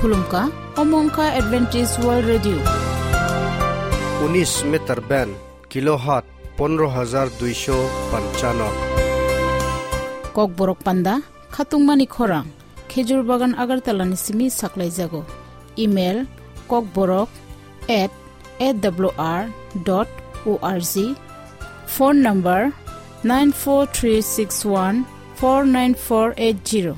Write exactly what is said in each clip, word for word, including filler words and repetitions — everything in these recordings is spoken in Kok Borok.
Khulumkha, omo wngkha Adventist World Radio. Unis meter band, kilohertz pondro hajar duisho panchano. Kokborok panda, khatungmani khorang, Khejur Bagan Agartala ni simi saklaijago. Email, kokborok at A W R dot O R G. Phone number, nine four three six one four nine four eight zero.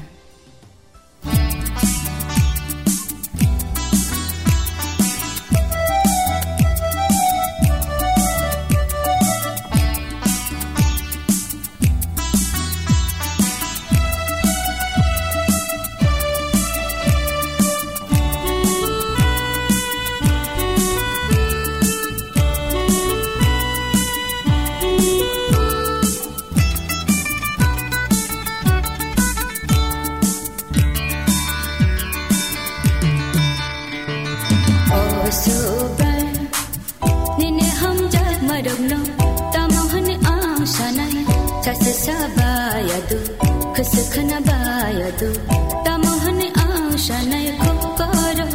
O Subrai, nini hamjakmarokno tamo hwnwi ang sanai? Sachi sabayadu, khwswk khwnabayadu, tamo hwnwi ang sanai kok koro.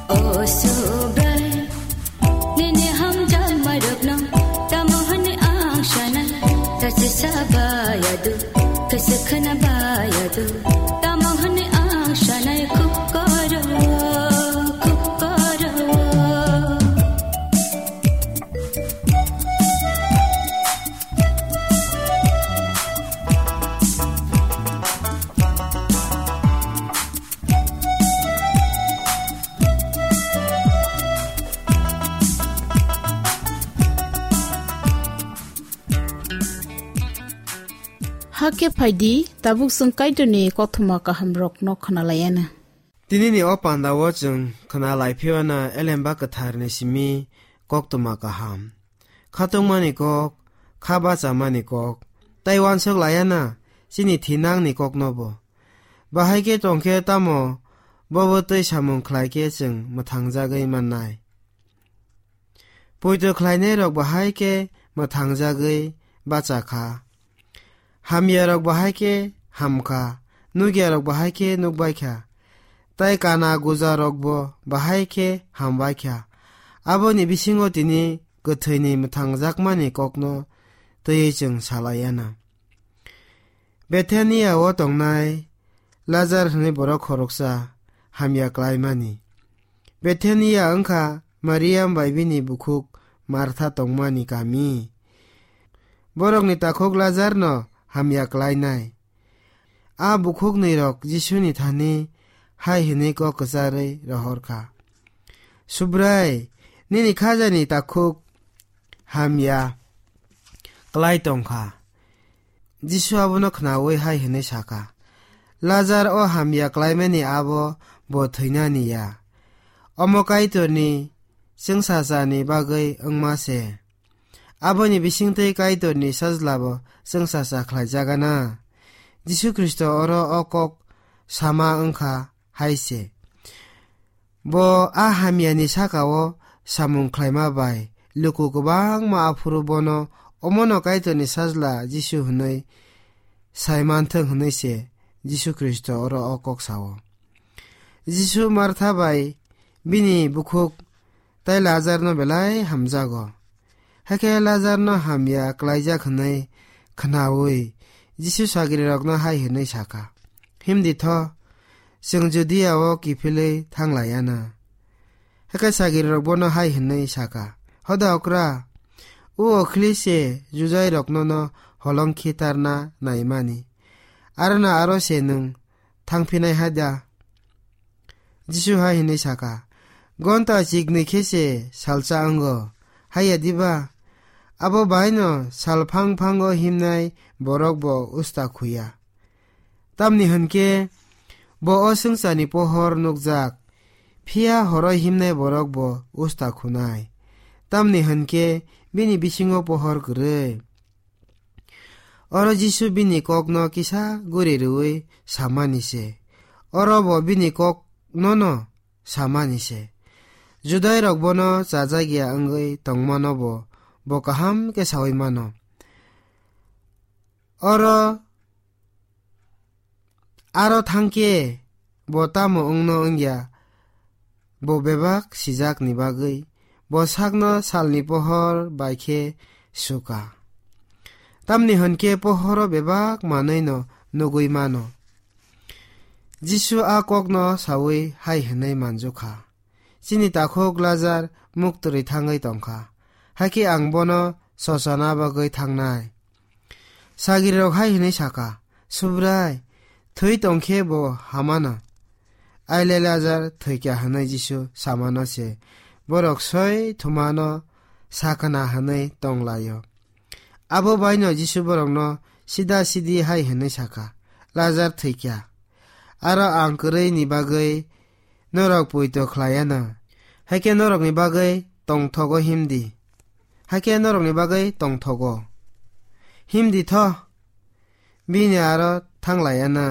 O Subrai, nini hamjakmarokno tamo hwnwi ang sanai? Sachi sabayadu, khwswk khwnabayadu, tamo hwnwi ang sanai kok koro, kok koro. Hakhe phaidi, tabuk chwng Kaitorni kothoma kahamrokno khwnalaiana. Tinini o pandao chwng khwnalai phiyana Elemba Kwtharni simi koktwma kaham. Khatungmani kok, kha bachamani kok, tei uansuk laiana chini thinangni koknobo. Bahai khe tongkhe tamo bobo tei samung khlai khe chwng mwthangjagwi mannai. Poito khlainairok bahai khe mwthangjagwi bacha kha. Hamyarok bahai khe ham kha, nukyarok bahai khe nuk bai kha, tei kana gujarokbo bahai khe ham bai kha. Aboni bisingo tini kwthwini mwthangjakmani kokno twiwi chwng salaiana. Bethania-o tongnai Lazar hwnwi borok khoroksa hamya klaimani. Bethania wngkha Mariam bai bini bukhuk Martha tongmani kami. Borokni takhuk Lazarno hamya klainai. A bukhuknwirok Jisuni thani hai hwnwi kok kwcharwi rohor kha, "Subrai, nini khajani takhuk hamya klai tong kha." Jisu abono khnaui hai hwnwi sa kha, "Lazar o hamya klaimani abo bo thwinani ya. Omo Kaitorni chwngsachani bagwi wngma se. Aboni bisingtwi Kaitorni Sajlabo chwngsacha khlaijagana." Jisu Khristo oro o kok sama wngkha hai se. Bo a hamyani saka-o samung khlaima bai luku kwbangma aphuru bono omono Kaitorni Sajla Jisu hwnwi sai manthwk hwnwi se Jisu Khristo oro o kok sao. Jisu Martha bai bini bukhuk tei Lazarno belai hamjago. Hakhe Lazarno hamya klaijak hwnwi khnaui Jisu sagrirokno hai hwnwi sa kha, "Himdi tho, chwng Judia-o kiphilwi thang lai ya na." Hakhe sagrirok bono hai hwnwi sa kha, "Hoda okra, o okhli se Judairok nono holong khitarna naimani, arona aro se nwng thang phinai hai da?" Jisu hai hwnwi sa kha, "Gonta chiknwi khe se salsa wngo, hai ya diba? Abo bai'-no sal phang phango himnai borok bo usta khuya. Tamni hwn khe bo o swngcharni pohor nukjak, phiya horo himnai borok bo usta khunai. Tamni hwn khe bini bisingo pohor kwrwi." Oro Jisu bini kokno kisa guri rwui samani se. Oro bo bini kok nono samani se. Judairok bono chajakya wngwi tongmano bo, bo kaham khe saui mano. Oro Aro thangkhe bo tamo wngno wngya, bo bebak sijakni bagwi bo sakno salni pohor bai khe suka. Tamni hwn khe pohoro bebak manwino nugwi mano. Jisu a kokno saui hai hwnwi manjukha, "Chini takhuk Lazar muktwrwi thangwi tongkha, hakhe ang bono sochona bagwi thangnai." Sagrirok hai hwnwi saka, "Subrai, thwi tongkhe bo hamano." Aile Lazar thwikha hwnwi Jisu samano se borok soi thumano sakana hwnwi tonglaio. Abo baino Jisu borokno sida sidi hai hwnwi saka, "Lazar thwikha. Aro ang kwrwini bagwi norok poito khlaiya na. Hakhe norokni bagwi tongthogo himdi. Hakhe norokni bagwi tongthogo. Himdi tho. Bini aro thanglaiya na."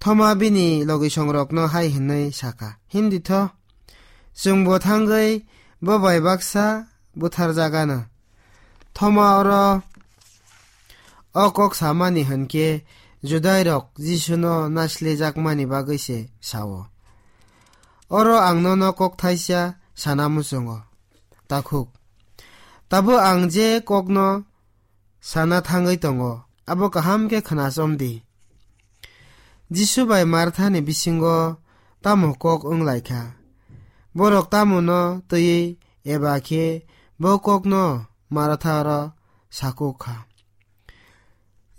Thoma bini logisongrokno hai hwnwi saka, "Himdi tho. Chwngbo thangwi bo bai baksa butharjagana." Thoma oro o kok samani hwn khe Judairok Jisuno naislejakmani bagwi se sao. Oro ang nono kok thaisa sana muchungo, takhuk. Tabuk ang je kokno sana thangwi tongo, abo kaham khe khnasom di. Jisu bai Marthani bisingo tamo kok wng lai kha? Borok tamo no twiwi eba khe bo kokno Martha oro sakuk kha.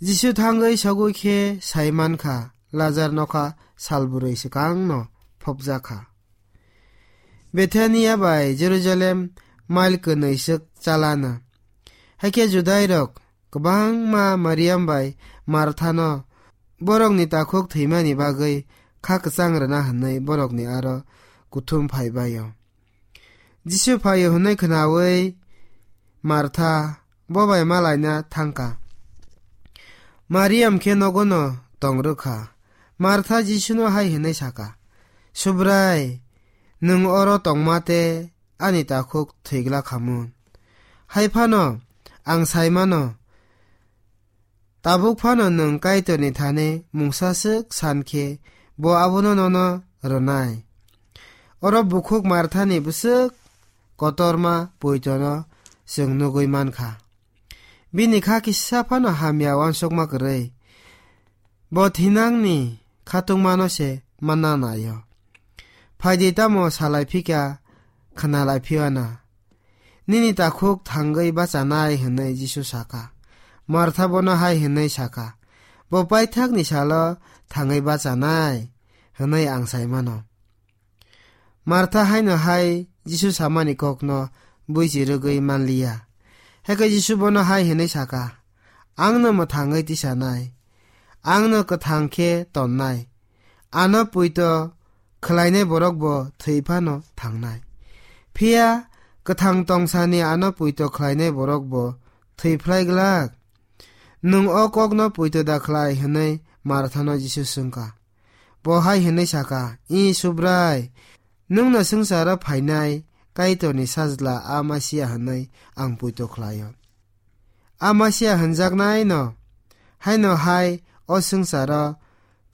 Jisu thangwi sogwi khe sai man kha, Lazar nokha sal bwrwi swkang no phobjak kha. Bethania bai Jerusalem mail kwnwi swk chalana. Hakhe Judairok kwbangma Mariam bai Marthano borokni takhuk thwimani bagwi kha kwchang rwna hwnwi borokni aro kuthum phai bai-o. Jisu phaio hwnwi khnaui Martha bo bai malaina thangkha. Mariam khe nogono tong rwkha. Martha Jisuno hai hwnwi saka, "Subrai, nwng oro tongma te ani takhuk thwigla khamun. Hai phano ang sai mano, tabuk phano nwng Kaitorni thani mungsa swk san khe bo abono nono rwnai." Oro bukhuk Marthani bwswk kotorma poitono chwng nugwi man kha. Bini kha kisa phano hamya uansukma kwrwi. Bo thinangni khatungmano se manna naio. Phaidi tamo salai phika, khwnalai phiya na. Nini takhuk thangwi bachanai hwnwi Jisu saka. Martha bono hai hwnwi saka, "Bo paithakni salo thangwi bachanai hwnwi ang sai mano." Martha haino hai Jisu samani kokno buichi rwgwi manliya. Hakhe Jisu bono hai hwnwi saka, "Angno mwthangwi tisanai, angno kwthang khe tonnai, ano puito khlainai borok bo thwi phano thangnai. Phiya kwthang tongsani ano puito khlainai borok bo thwi phlai glak. Nwng o kokno puito da khlai?" hwnwi Marthano Jisu swngkha. Bo hai hwnwi saka, "I Subrai, nwngno swngcharo phainai Kaitorni Sajla a Masia hwnwi ang puito khlaio. A Masia hwnjaknaino haino hai o swngcharo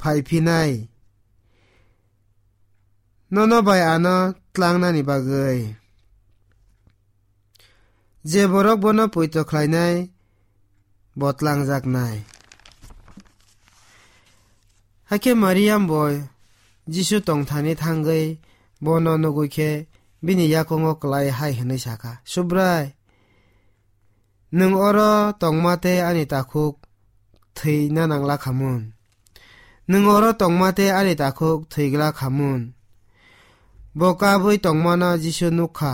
phai phinai, nono bai ano tlangnani bagwi. Je borok bono puito khlainai, bo tlangjaknai." Hakhe Mariam bo Jisu tongthani thangwi bono nugwi khe bini yakungo kwlai hai hwnwi saka, "Subrai, nwng oro tongma tei ani takhuk thwina nangla khamun. Nwng oro tongma tei ani takhuk thwigla khamun." Bo kabwi tongmano Jisu nukha.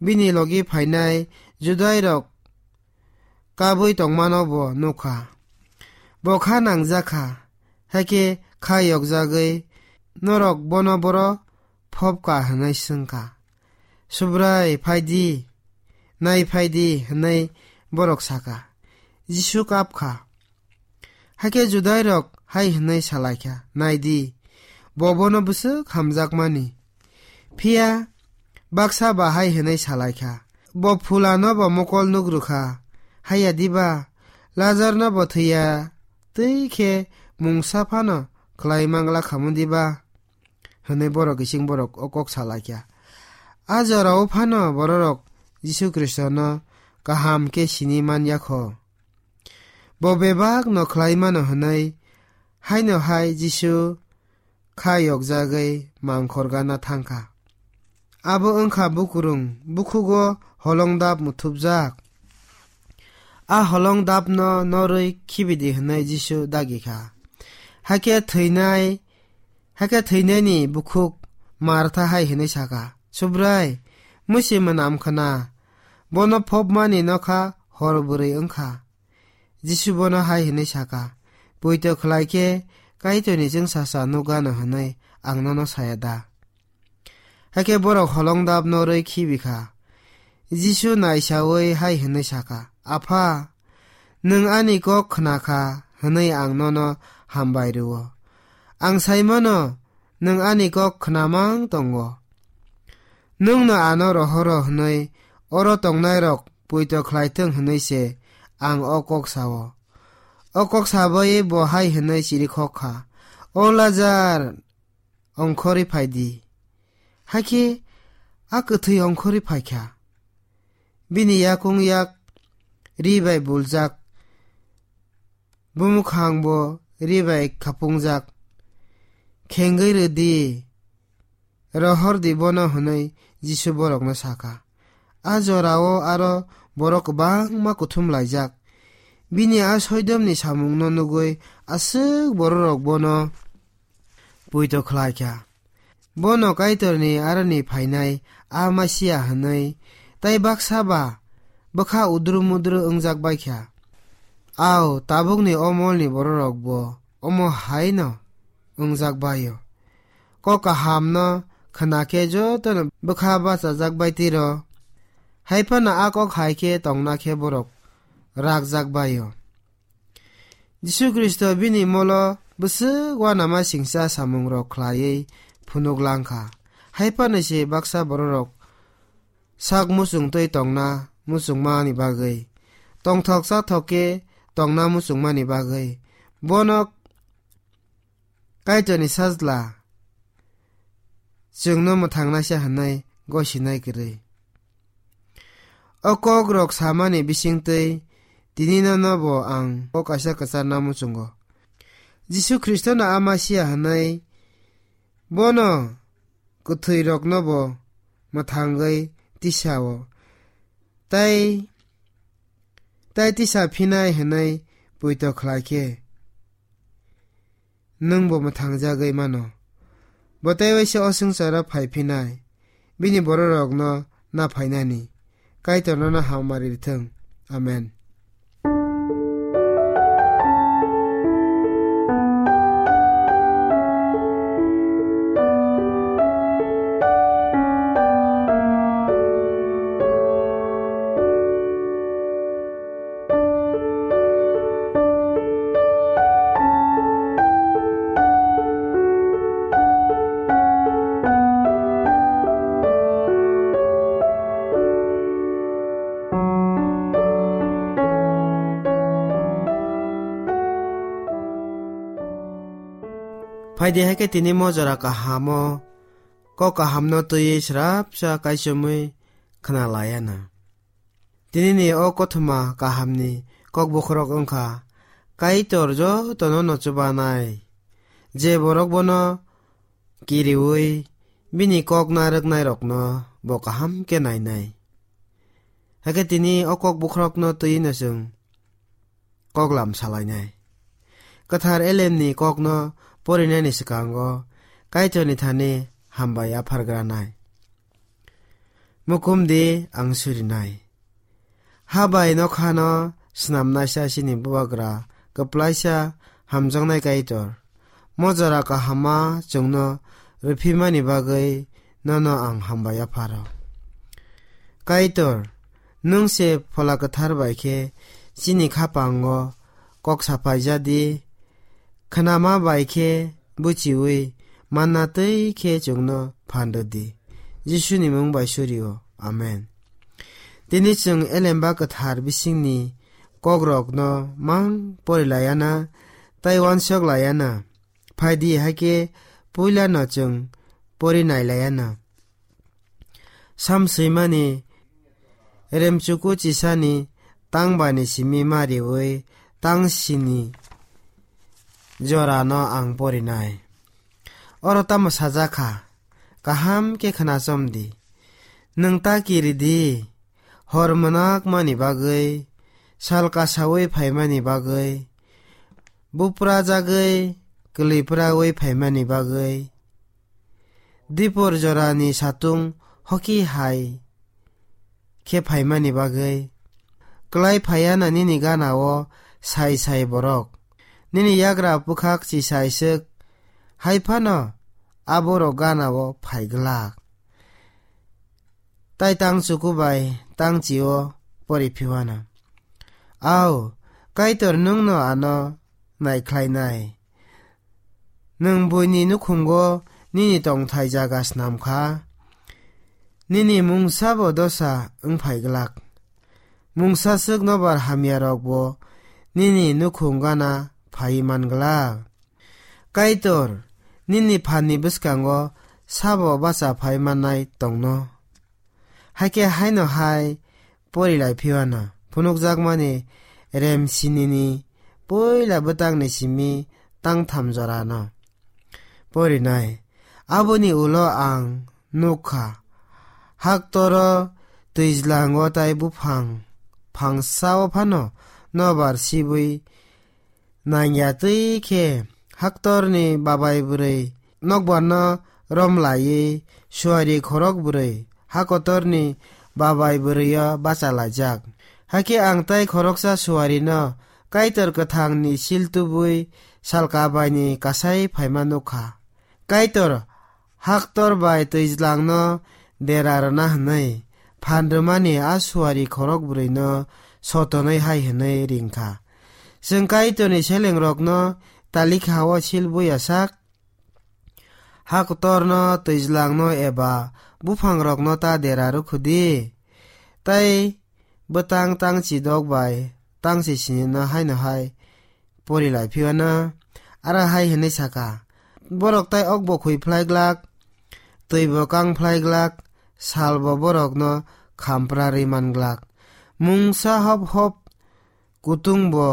Bini logi phainai Judairok kabwi tongmano bo nukha. Bo kha nangjak kha, hakhe kha yokjagwi, "Norok bono boro phobka?" hwnwi swngkha. "Subrai, phai di, nai phai di," hwnwi borok saka. Jisu kap kha. Hakhe Judairok hai hwnwi salaikha, "Nai di, bo bono bwswk hamjakmani. Phiya baksa ba hai hwnwi salaikha, 'Bo phulano bo mokol nuk rwkha, haiya diba? Lazarno bo thwiya twi khe mungsa phano khlai mangla khamu diba?" hwnwi borok kising borok o kok sa lai kha. A jorao phano bororok Jisu Khristono kaham khe sini man ya kho. Bo bebak no khlai mano hwnwi haino hai Jisu kha yokjagwi mangkhor gana thang kha. Abo wng kha bukurung, bukhugo holong dap muthupjak. A holong dapno norwi khibidi hwnwi Jisu dagi kha. Hakhe thwinai, hakhe thwinaini bukhuk Martha hai hwnwi sa kha, "Subrai, musi mwnam khna, bono phopmani nokha hor bwrwi wng kha." Jisu bono hai hwnwi sa kha, "Poito khlai khe Kaitorni chwngsacha nukgano hwnwi ang nono saya da?" Hakhe borok holong dap norwi khibi kha. Jisu naisaui hai hwnwi sa kha, "Apha, nwng ani kok khna kha hwnwi ang nono hambai rw-o. Ang sai mano, nwng ani kok khna mang tongo. Nwngno ano rohoro hwnwi oro tongnairok poito khlai thung hwnwi se ang o kok sa-o." O kok sabai bo hai hwnwi chirikhok kha, "O Lazar, ongkhorwi phai di." Hakhe a kwthwi ongkhorwi phai kha. Bini yakung yak ri bai buljak, bumukhang bo ri bai khapungjak. "Khengwi rw di, rohor di bono," hwnwi Jisu borokno sa kha. A jorao aro borok kwbangma kuthum laijak. Bini a soidomni samungno nugwi aswk bororok bono poito khlai kha. Bono Kaitorni aroni phainai a Masia hwnwi, tei baksa ba bwkha udru mudru wngjak bai kha. Au, tabukni o molni bororokbo omo hai no wngjak bai-o. Kok kahamno khna khe jotono bwkha bachajak bai tiro. Hai phano a kok hai khe tongna khe borok rakjak bai-o. Jisu Khristo bini molo bwswk uanama singcha samungrok khlaiwi phunuk lang kha. Hai phano se baksa bororok sak muchung twi tongna muchungmani bagwi, tongthok chathok khe tongna muchungmani bagwi bono Kaitorni Sajla chwngno mwthangnaisa hwnwi gosinai kwrwi. O kokrok samani bisingtwi tini nono bo ang kok kaisa kwcharna muchungo. Jisu Khristono a Masia hwnwi bono kwthwirokno bo mwthangwi tisa-o, tai, tai tisa phinai hwnwi poito khlai khe, nwng bo mwthangjagwi mano. Bo tei waisa o swngcharo phai phinai, bini bororokno na phainani. Kaitor nono hamari rithwng. Amen. Phaidi hai khe tini mojora kahamo, kok kahamno twiwi srapsa kaichomwi khna laiya na. Tinini o kothoma kahamni kok bokhorok wngkha, Kaitor jotono no chubanai, je borok bono kiriui bini kok narwknairokno bo kaham khe nainai. Hakhe tini o kok bokhorokno twiwi no chwng koklam salainai. Kwthar elemni kokno porinani swkango Kaitorni thani hambai yaphargranai. Mukumdi ang surinai. Ha bai nokhano snamnaisa chini bubagra kwplaisa hamjaknai Kaitor. Mojora kahama chwngno rwphimani bagwi nono ang hambai yapharo. Kaitor, nwng se Phola Kwthar bai khe chini khapango kok saphaijadi, khnama bai khe buchiui manna twi khe chwngno phan rwdi. Jisuni mung bai surio. Amen. Tini chwng Elemba Kwthar bisingni kokrokno mang pori laiya na, tei uansuk laiya na. Phaidi, hakhe puilano chwng pori nailaiano. Sam swimani remchuku chisani tangbani simi ma riwi tangsini jorano ang porinai. Oro tamo sajak kha, kaham khe khnasom di. Nwng ta kiri di, hor mwnakmani bagwi, sal kasaui phaimani bagwi, buprajagwi, kwlwipraui phaimani bagwi, dipor jorani satung hoki hai khe phaimani bagwi. Klai phaiya na nini gana-o sai sai borok. Nini yagra bwkhak chisai swk, hai phano aborok gana-o phai glak. Tai tang chuku bai tang chi-o pori phiwana. Au, Kaitor nwngno ano naikhlainai. Nwng buini nukhungo nini tongthai jaga snam kha, nini mungsabo dosa wng phai glak. Mungsa swk nobar hamyarokbo nini nukhung gana phai man glak. Kaitor, nini phanni bwskango sabo bacha phai mannai tongno? Hakhe haino hai pori lai phiwana phunukjakmani rem sinini puila bwtangni simi tangtham jorano porinai. Aboni ulo ang nuk kha, haktoro twijlango tai buphang phangsao phano nobar sibwi nangya twi khe haktorni babai bwrwi nokbarno rom laiwi suari khorok bwrwi hakotorni babai bwrwio bacha laijak. Hakhe ang tai khoroksa suarino Kaitor kwthangni sil tubui salka baini kasai phaima nuk kha. Kaitor haktor bai twijlangno dera rwna hwnwi phan rwmani a suari khorok bwrwino sotonwi hai hwnwi ring kha, "Chwng Kaitorni selengrokno talikha-o sil buya sak, haktorno, twijlangno eba buphangrokno ta dera rwkhu di." Tai bwtang tangchi dok bai tangchi sinino haino hai pori lai phiwana, aro hai hwnwi saka, "Borok tai okbo khui phlai glak, twibo kang phlai glak, salbo borokno khampra rwi man glak, mungsa hop hop kutungbo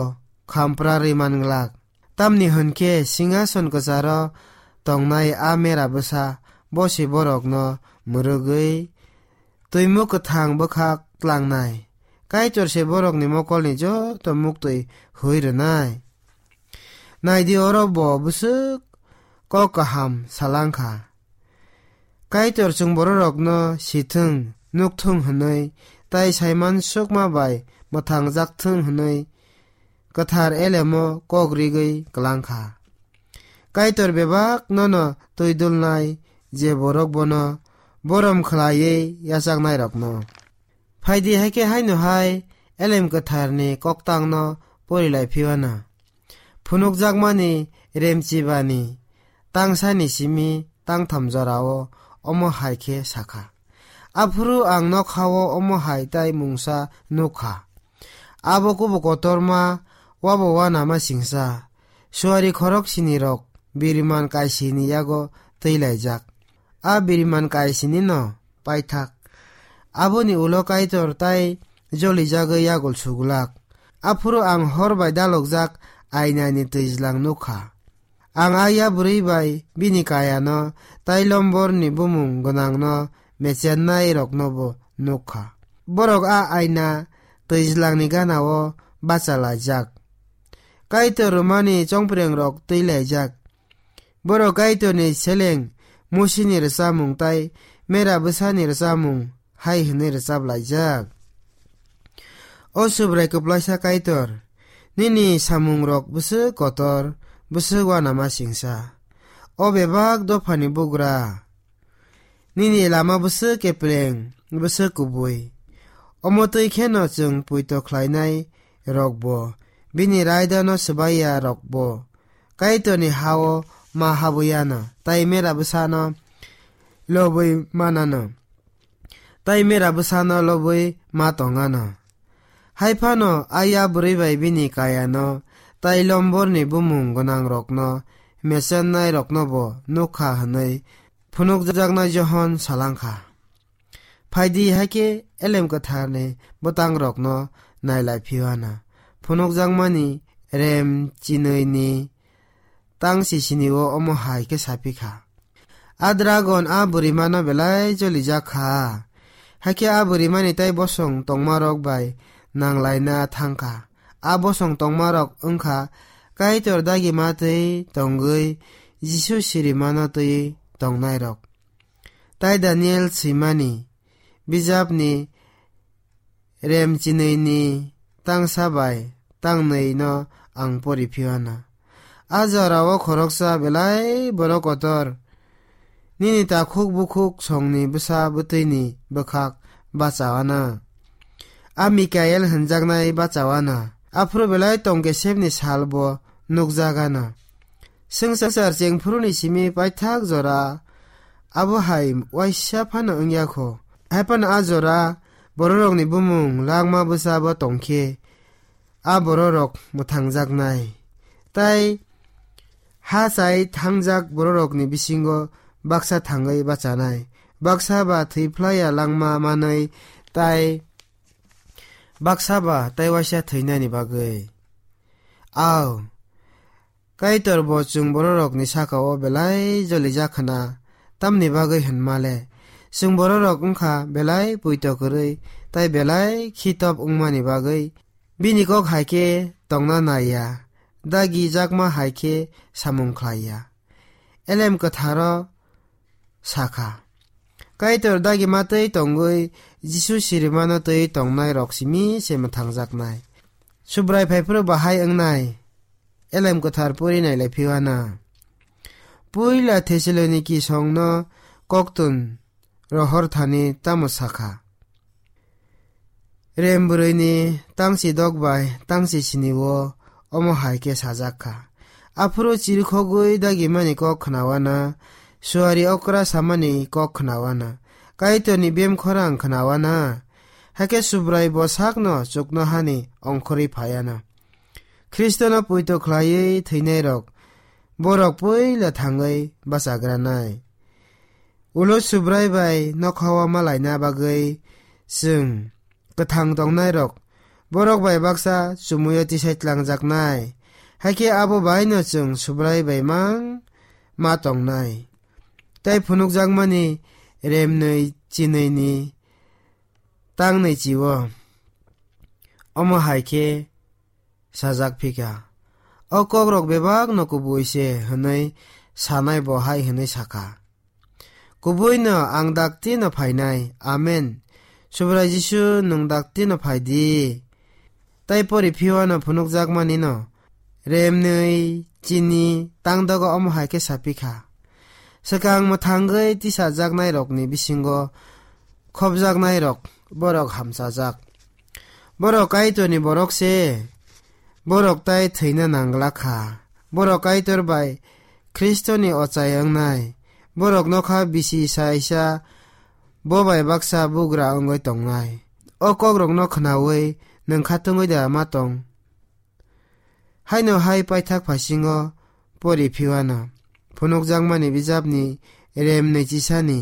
khampra rwi man glak. Tamni hwn khe singhason kwcharo tongnai a mera bwsa bosi borokno mwrwgwi twimuk kwthang bwkhak tlangnai. Kaitor se borokni mokolni joto muktwi hui rwnai. Nai di, oro bo bwswk kok kaham salang kha. Kaitor chwng bororokno sithwng, nukthwng hwnwi, tai saiman sukma bai mwthangjak thwng hwnwi kwthar elemo kok rigwi klang kha. Kaitor bebak nono twi dulnai je borok bono borom khlaiwi yachaknairokno." Phaidi, hakhe haino hai elem kwtharni koktangno pori lai phiwana. Phunukjakmani remchibani tangsani simi tangtham jorao omo hai khe sakha, "Aphuru ang nokhao omo hai tai mungsa nuk kha. Abo kubu kotorma, wabo wanama singsa, suari khorok sinirok biriman kaisini yago twi laijak. A biriman kaisinino paithak. Aboni ulo Kaitor tai jolijagwi yagul sugulak. Aphuru ang hor bai dalokjak ainani twijlang nuk kha. Ang a yabrwi bai bini kayano tai lomborni bumung gwnangno mechennairoknobo nuk kha. Borok a aina twijlangni ganao bacha laijak. Kaitor rwmani chongprengrok twi laijak. Borok Kaitorni seleng Musini rwchapmung tai mera bwsani rwchapmung hai hwnwi rwchap laijak: O Subrai kwplaisa Kaitor, nini samungrok bwswk kotor, bwswk uanama singsa. O bebak dophani bugra, nini lama bwswk kepleng, bwswk kubui. Omo twi kheno chwng poito khlainai rokbo, bini raidano swbaiya rokbo Kaitorni ha-o ma habwi ano, tai mera bwsano lobwi manano, tai mera bwsano lobwi ma tongano. Hai phano a yabrwi bai bini kayano tai lomborni bumung gwnangrokno mechennairoknobo nuk kha hwnwi phunukjaknai Johon salangkha. Phaidi, hakhe Elem Kwtharni bwtangrokno nailai phiwana. Phunukjakmani rem chinwini tang sisini-o omo hai khe saphi kha, "A dragon a bwrwimano belai jolijak kha, hakhe a bwrwimani tei bosong tongmarok bai nanglaina thang kha. A bosong tongmarok wng kha Kaitor dagima twi tongwi Jisu sirimano twi tongnairok." Tai Daniel swimani bijapni rem chinwini tangsa bai tangnwino ang pori phiwana. A jorao khoroksa belai borok kotor, nini takhuk bukhuk songni bwsa bwtwini bwkhak bachawana. A Mikael hwnjaknai bachawana. Aphuru belai tongkesepni salbo nukjagana. Swngchar chengphuruni simi paithak jora abo hai waisa phano wngya kho. Hai phano a jora bororokni bumung langma bwsabo tongkhe, a bororok mwthangjaknai. Tai ha chai thangjak bororokni bisingo baksa thangwi bachanai, baksa ba thwi phlaiya langma manwi, tai baksa ba tai waisa thwinani bagwi. Ao, Kaitor bo chwng bororokni saka-o belai jolijak khna, tamni bagwi hwnma le, chwng bororok wngkha belai poito kwrwi tai belai khitop wngmani bagwi. Bini kok hai khe tongna nai ya, dagi jakma hai khe samung khlai ya. Elem Kwtharo sa kha, Kaitor dagima twi tongwi Jisu sirimano twi tongnairok simi se mwthangjaknai. Subrai phaiphuru bahai wngnai. Elem Kwthar pori nailai phiwana. Puila Thessaloniki songno koktun rohor thani tamo sakha? Rem bwrwini tangchi dok bai tangchi sini-o omo hai khe sajak kha. Aphuru chirikhogwi dagimani kok khnawana, suari okra samani kok khnawana, Kaitorni bem khorang khnawana, hakhe Subrai bo sakno chuknohani ongkhorwi phaiana. Khristono poito khlaiwi thwinairok, borok puila thangwi bachagranai. Ulo Subrai bai nokhao malaina bagwi chwng kwthang tongnairok borok bai baksa chumuyo tisai tlangjaknai. Hakhe abo baino chwng Subrai bai mang ma tongnai. Tai phunukjakmani remnwi chinwini tangnwi chio. Omo hai khe sajak phikha. O kokrok bebakno kubui se hwnwi sanai bo hai hwnwi sakha, "Kubuino ang dakti no phainai. Amen. Subrai Jisu, nwng dakti no phai di." Tai pori phiwano phunukjakmani no remnwi chini tangdogo omo hai khe sapikha, swkang mwthangwi tisajaknairokni bisingo khopjaknairok borok hamchajak. Borok Kaitorni borok se, borok tai thwina nanglak kha. Borok Kaitor bai Khristoni ochai wngnai. Borok nokha bisi saisa bo bai baksa bugra wngwi tongnai. O kokrokno khnaui nwng khatungwi da ma tong? Haino hai paithak phasingo pori phiwano phunukjakmani bijapni remnwi chisani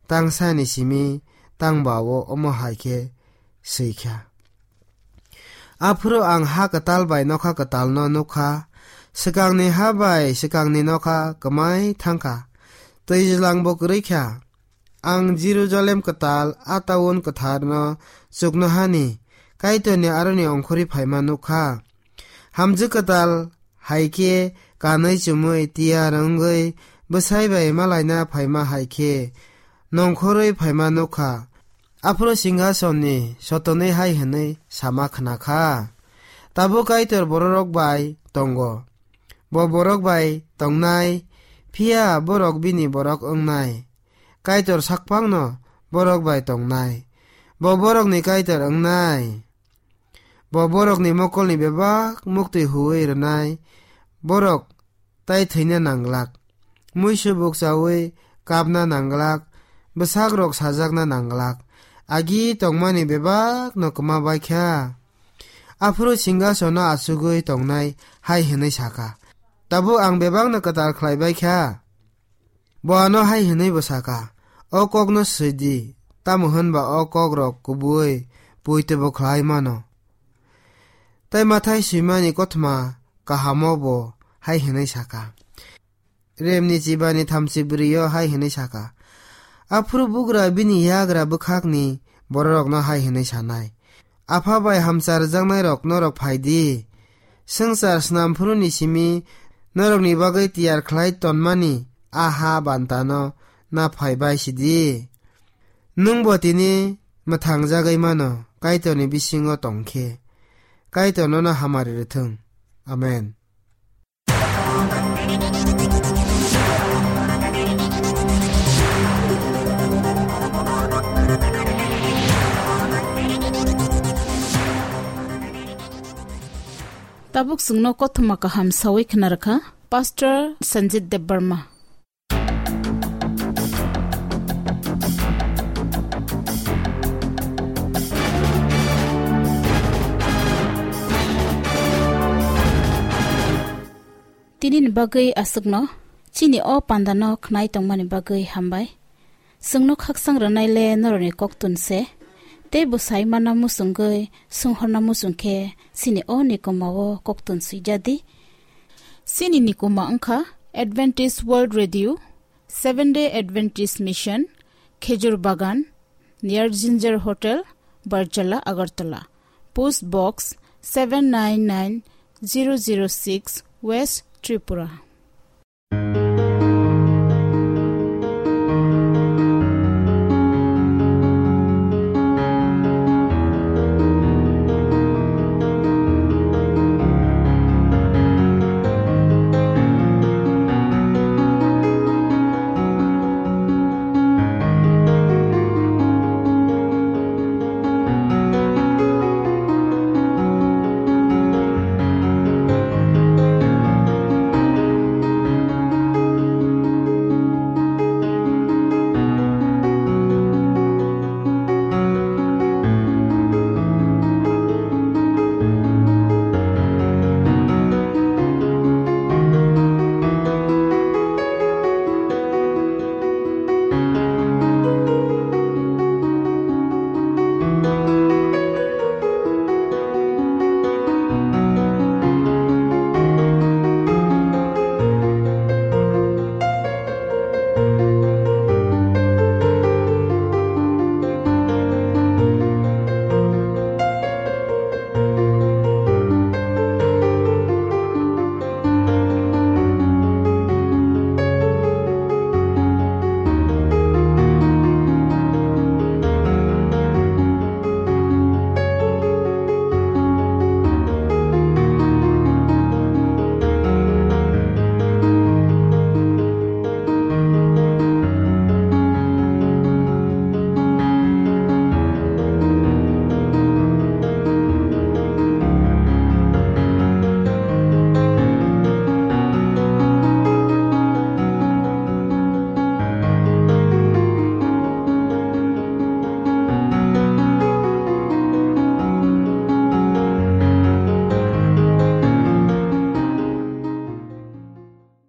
tangsani simi tangbao omo hai khe swi kha. Aphuru ang ha kwtal bai nokha kwtalno nuk kha. Swkangni ha bai swkangni nokha kwmai thang kha. Twijlangbo kwrwi kha. Ang Jerusalem kwtal, a taun kwtharno chuknohani Kaitorni aroni ongkhorwi phaima nuk kha. Hamjwk kwtal hai khe kanwi chumui tiyar wngwi bwsai bai malaina phaima hai khe nongkhorwi phaima nuk kha. Aphuru singhasonni sotonwi hai hwnwi sama khna kha, "Tabuk Kaitor bororok bai tongo. Bo borok bai tongnai, phiya borok bini borok wngnai. Kaitor sakphangno borok bai tongnai. Bo borokni Kaitor wngnai. Bo borokni mokolni bebak muktwi huui rwnai. Borok tai thwina nanglak. Muisu bukchaui kapna nanglak. Bwsakrok sajakna nanglak. Agi tongmani bebakno kwma bai kha." Aphuru singhasono achugwi tongnai hai hwnwi sakha, Tabuk ang bebakno kwtal khlai bai kha. Bo ano hai hwnwi bo sa kha, "O kokno swi di, tamo hwn ba o kokrok kubui poito bo khlai mano." Tei Mathai swimani kothoma kahamo bo hai hwnwi sa kha. Remni chibani thamchi bwrwi-o hai hwnwi sa kha, "Aphuru bugra bini yagra bwkhakni bororokno hai hwnwi sanai, 'Apha bai hamchar rwjaknairok norok phai di. Swngchar snam phuruni simi norokni bagwi tiyar khlai tonmani a ha bantano na phai bai sidi.' Nwng bo tini mwthang jagwi mano, Kaitorni bisingo tong khe. Kaitor nono hamari rwthwng. Amen. Tabuk chwngno kothoma kaham sawi khna rwkha Pastor Sanjit Debbarma. Tinini bagwi aswkno, chini o pandano khnai tongmani bagwi hambai. Chwngno khaksang rwnaile norokni koktun se, tei bwsai mana muchungwi, swnghorna muchung khe chini o nikomao koktun swijadi. Chini nikoma wngkha Adventist World Radio, Seventh Day Adventist Mission, Khejur Bagan, near Ginger Hotel, Barjala, Agartala. Post Box seven nine nine zero zero six, West Tripura.